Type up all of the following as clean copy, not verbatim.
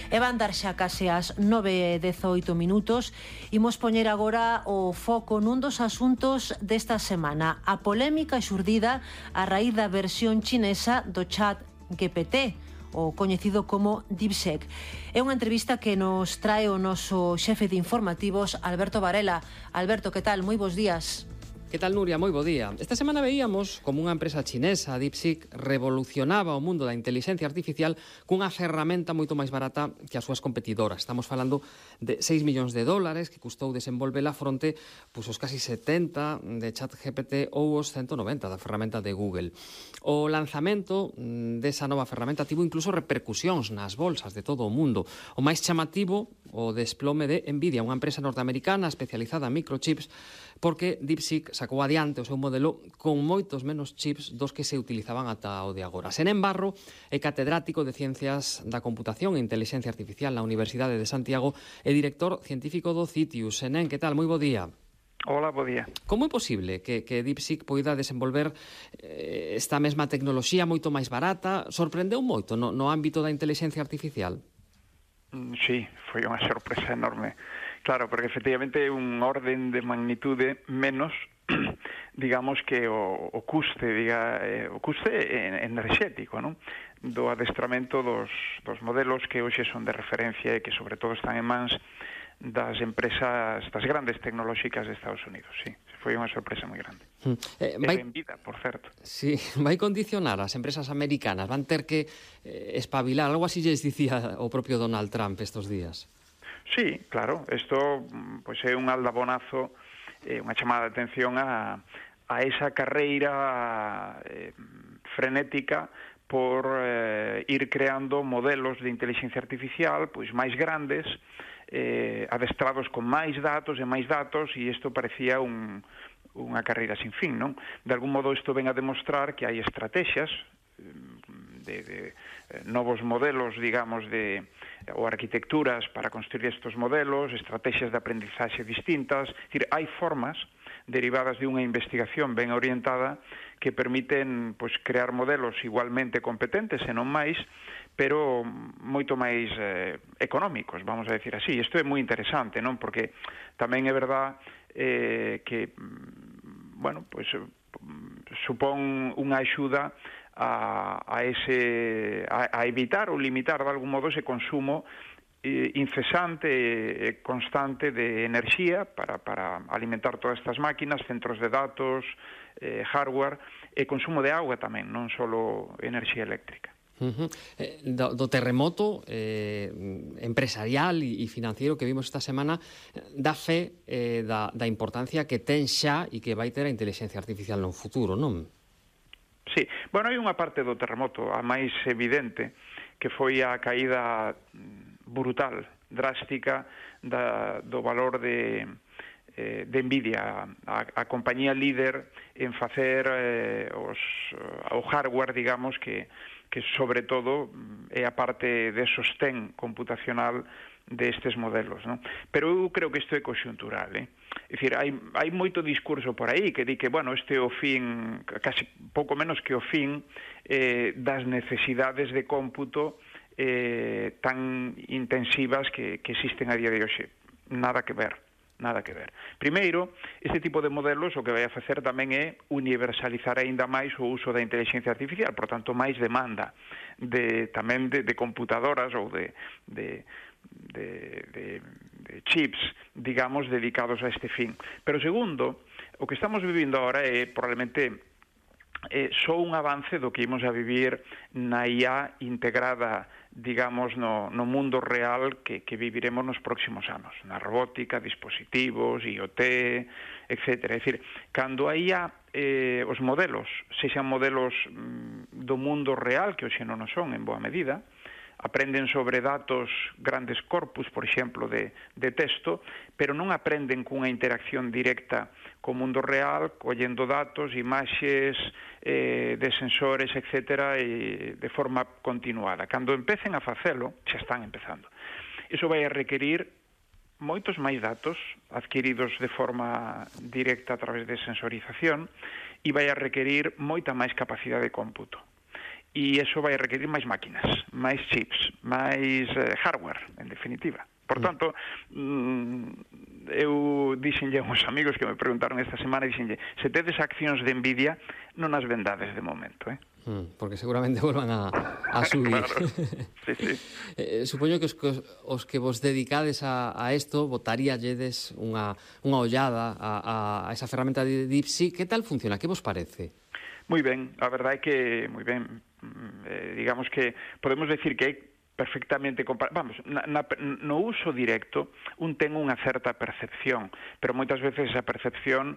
E van dar xa case as 9:18. Imos poñer agora o foco nun dos asuntos desta semana, a polémica xurdida a raíz da versión chinesa do chat GPT, o coñecido como DeepSeek. É unha entrevista que nos trae o noso xefe de informativos, Alberto Varela. Alberto, que tal? Moi bons días. Que tal, Nuria? Moi bo día. Esta semana veíamos como unha empresa chinesa, DeepSeek, revolucionaba o mundo da inteligencia artificial cunha ferramenta moito máis barata que as súas competidoras. Estamos falando de 6 millóns de dólares que custou desenvolvela fronte os casi 70 de ChatGPT ou os 190 da ferramenta de Google. O lanzamento desa nova ferramenta tivo incluso repercusións nas bolsas de todo o mundo. O máis chamativo, o desplome de Nvidia, unha empresa norteamericana especializada en microchips, porque DeepSeek sacou adiante o seu modelo con moitos menos chips dos que se utilizaban ata o de agora. Senén Barro é catedrático de Ciencias da Computación e Inteligencia Artificial na Universidade de Santiago e director científico do CITIUS. Senén, que tal? Moi bo día. Hola, bo día. Como é posible que DeepSeek poida desenvolver esta mesma tecnoloxía moito máis barata? Sorprendeu moito no ámbito da inteligencia artificial? Sí, foi unha sorpresa enorme. Claro, porque efectivamente é un orden de magnitude menos, digamos, que o custe enerxético, non? Do adestramento dos modelos que hoxe son de referencia e que sobre todo están en mans das empresas, das grandes tecnolóxicas de Estados Unidos, sí. Foi unha sorpresa moi grande. Benvida, por certo. Sí, vai condicionar as empresas americanas, van ter que espabilar, algo así lles dicía o propio Donald Trump estos días. Sí, claro, isto pois é un aldabonazo, unha chamada de atención a esa carreira frenética por ir creando modelos de inteligencia artificial pois máis grandes, adestrados con máis datos e isto parecía unha carreira sin fin, non? De algún modo isto ven a demostrar que hai estrategias de novos modelos, digamos, ou arquitecturas para construir estes modelos, estrategias de aprendizaxe distintas. É dicir, hai formas derivadas de unha investigación ben orientada que permiten pois, crear modelos igualmente competentes, e non máis, pero moito máis económicos, vamos a decir así. Isto é moi interesante, non? Porque tamén é verdad que, bueno, pois supón unha axuda a evitar ou limitar de algún modo ese consumo incesante e constante de enerxía para alimentar todas estas máquinas, centros de datos, hardware e consumo de auga tamén, non só enerxía eléctrica. Do terremoto empresarial e financiero que vimos esta semana dá fe da importancia que ten xa e que vai ter a inteligencia artificial no futuro, non? Sí, bueno, hai unha parte do terremoto, a máis evidente, que foi a caída brutal, drástica, do valor de Nvidia, a compañía líder en facer o hardware, digamos, que sobre todo é a parte de sostén computacional destes modelos, non? Pero eu creo que isto é conxuntural, É dicir, hai moito discurso por aí que di que, bueno, este é o fin, casi pouco menos que o fin das necesidades de cómputo tan intensivas que existen a día de hoxe. Nada que ver. Primeiro, este tipo de modelos o que vai a facer tamén é universalizar aínda máis o uso da inteligencia artificial, por tanto, máis demanda tamén de computadoras ou de chips, digamos, dedicados a este fin. Pero segundo, o que estamos vivindo agora é probablemente só un avance do que imos a vivir na IA integrada, digamos, no mundo real que viviremos nos próximos anos, na robótica, dispositivos, IoT, etc. É dicir, cando a IA, os modelos, sexan modelos do mundo real, que hoxe non son en boa medida, aprenden sobre datos, grandes corpus, por exemplo, de texto, pero non aprenden cunha interacción directa co mundo real, collendo datos, imaxes, de sensores, etc., de forma continuada. Cando empecen a facelo, xa están empezando. Iso vai a requerir moitos máis datos adquiridos de forma directa a través de sensorización e vai a requerir moita máis capacidade de cómputo. e iso vai requerir máis máquinas, máis chips, máis hardware, en definitiva. Por tanto, eu dixenlle a uns amigos que me preguntaron esta semana, dixenlle, se tedes accións de Nvidia, non as vendades de momento, porque seguramente volvan a subir. Claro. Sí. Supoño que os que vos dedicades a isto botaríalledes unha ollada a esa ferramenta de DeepSeek. Que tal funciona? Que vos parece? Moi ben, a verdade é que moi ben. Digamos que podemos decir que é perfectamente comparable. Vamos, no uso directo un ten unha certa percepción, pero moitas veces esa percepción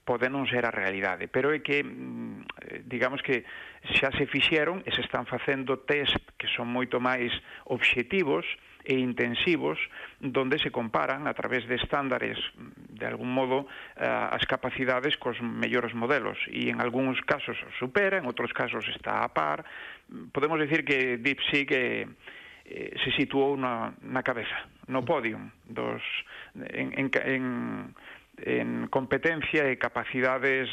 pode non ser a realidade, pero é que digamos que xa se fixeron e se están facendo test que son moito máis obxectivos e intensivos, donde se comparan a través de estándares, de algún modo, as capacidades cos mellores modelos, e en algúns casos supera, en outros casos está a par. Podemos decir que DeepSeek se situou na cabeza, no podium en competencia e capacidades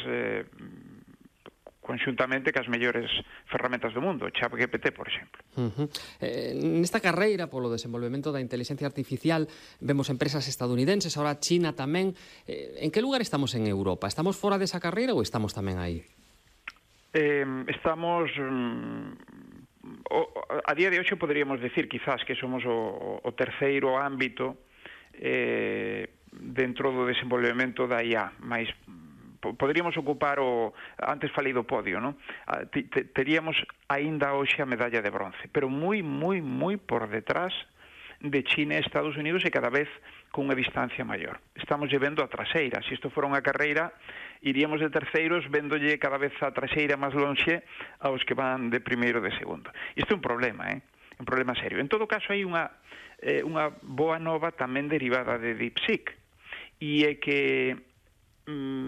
conxuntamente cas mellores ferramentas do mundo, ChatGPT, por exemplo. Nesta carreira polo desenvolvemento da inteligencia artificial vemos empresas estadounidenses, ahora China tamén. En que lugar estamos en Europa? Estamos fora desa carreira ou estamos tamén aí? Estamos... a día de hoxe poderíamos decir quizás que somos o terceiro ámbito dentro do desenvolvemento da IA, máis poderíamos ocupar antes falei do podio, non? Teríamos aínda hoxe a medalla de bronce, pero moi por detrás de China e Estados Unidos e cada vez con unha distancia maior. Estamos vendo a traseira. Se isto fora unha carreira, iríamos de terceiros vendolle cada vez a traseira máis lonxe aos que van de primeiro e de segundo. Isto é un problema, un problema serio. En todo caso, hai unha boa nova tamén derivada de DeepSeek, e é que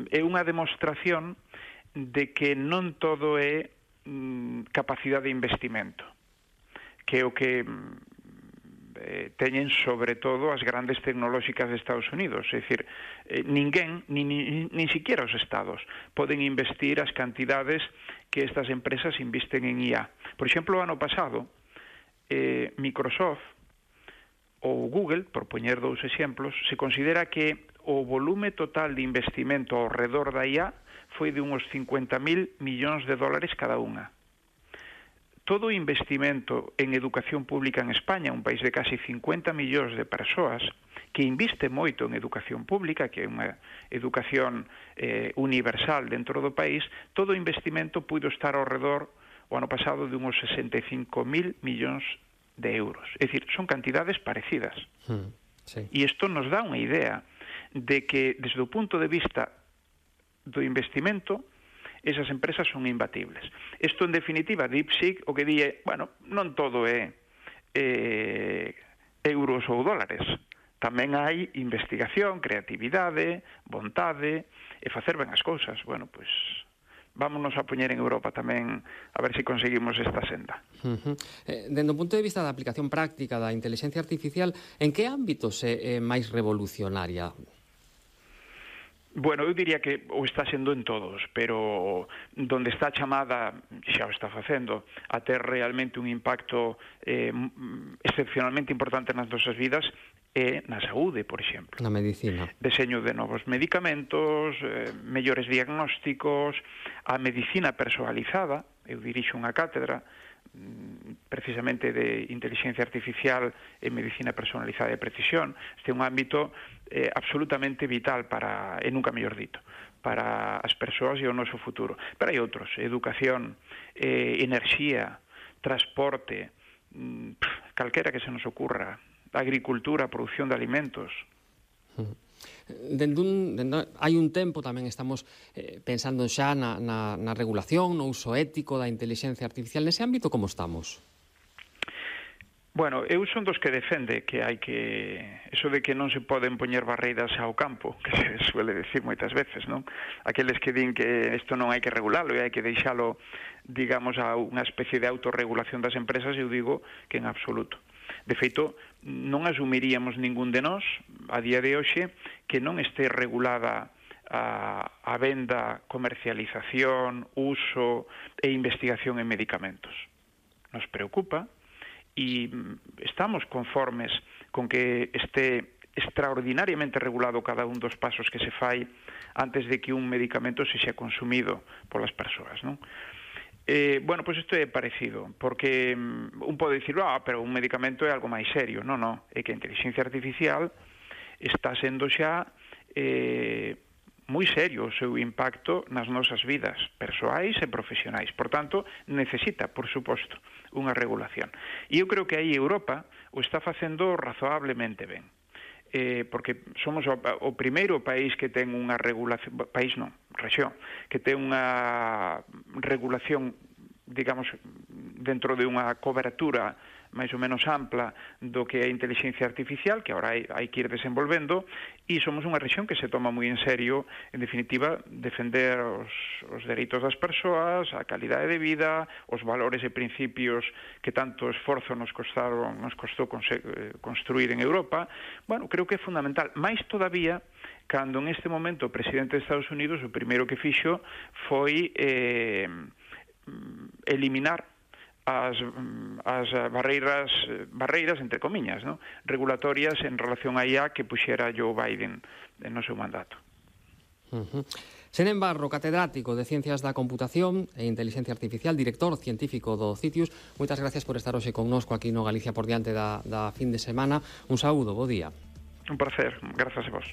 é unha demostración de que non todo é capacidade de investimento, que é o que teñen sobre todo as grandes tecnolóxicas de Estados Unidos. É dicir, ninguén, nin siquiera os estados, poden investir as cantidades que estas empresas invisten en IA. Por exemplo, o ano pasado, Microsoft ou Google, por poñer dous exemplos, se considera que o volume total de investimento ao redor da IA foi de uns 50.000 millóns de dólares cada unha. Todo o investimento en educación pública en España, un país de casi 50 millóns de persoas, que inviste moito en educación pública, que é unha educación universal dentro do país, todo o investimento puido estar ao redor, o ano pasado, de uns 65.000 millóns de euros. É dicir, son cantidades parecidas. Sí. E isto nos dá unha idea de que, desde o punto de vista do investimento, esas empresas son imbatibles. Isto, en definitiva, DeepSeek, o que di é, non todo é euros ou dólares. Tamén hai investigación, creatividade, vontade, e facer ben as cousas. Vámonos a poñer en Europa tamén a ver se conseguimos esta senda. Dende o punto de vista da aplicación práctica da inteligencia artificial, en que ámbitos é máis revolucionaria? Eu diría que o está sendo en todos, pero donde está chamada, xa o está facendo, a ter realmente un impacto excepcionalmente importante nas nosas vidas, é na saúde, por exemplo. Na medicina. Deseño de novos medicamentos, mellores diagnósticos, a medicina personalizada. Eu dirixo unha cátedra precisamente de inteligencia artificial e medicina personalizada de precisión. Este é un ámbito absolutamente vital para, e nunca mellor dito, para as persoas e o noso futuro. Pero hai outros, educación, enerxía, transporte, calquera que se nos ocurra, agricultura, produción de alimentos. Hai un tempo tamén estamos pensando xa na regulación, no uso ético da inteligencia artificial. Nese ámbito, como estamos? Eu son dos que defende que hai que... Eso de que non se poden poñer barreiras ao campo, que se suele decir moitas veces, non? Aqueles que din que isto non hai que regularlo e hai que deixalo, digamos, a unha especie de autorregulación das empresas, eu digo que en absoluto. De feito, non asumiríamos ningún de nós, a día de hoxe, que non este regulada a venda, comercialización, uso e investigación en medicamentos. Nos preocupa e estamos conformes con que este extraordinariamente regulado cada un dos pasos que se fai antes de que un medicamento se xa consumido polas persoas, non? Bueno, pois isto é parecido, porque un pode dicir, pero un medicamento é algo máis serio. Non, é que a inteligencia artificial está sendo xa moi serio o seu impacto nas nosas vidas persoais e profesionais. Por tanto, necesita, por suposto, unha regulación. E eu creo que aí Europa o está facendo razoablemente ben. Porque somos o primeiro país que ten unha regulación, país non, rexión, que ten unha regulación, digamos, dentro de unha cobertura máis ou menos ampla do que é a inteligencia artificial, que agora hai que ir desenvolvendo, e somos unha rexión que se toma moi en serio, en definitiva, defender os dereitos das persoas, a calidade de vida, os valores e principios que tanto esforzo nos costou construir en Europa. Bueno, creo que é fundamental. Mais todavía, cando en este momento o presidente de Estados Unidos o primeiro que fixo foi eliminar as barreiras entre comiñas, non? Regulatorias en relación a IA que puxera Joe Biden no seu mandato. Senén Barro, catedrático de Ciencias da Computación e Inteligencia Artificial, director científico do CITIUS, moitas gracias por estar hoxe connosco aquí no Galicia por diante da fin de semana. Un saúdo, bo día. Un placer, grazas a vos.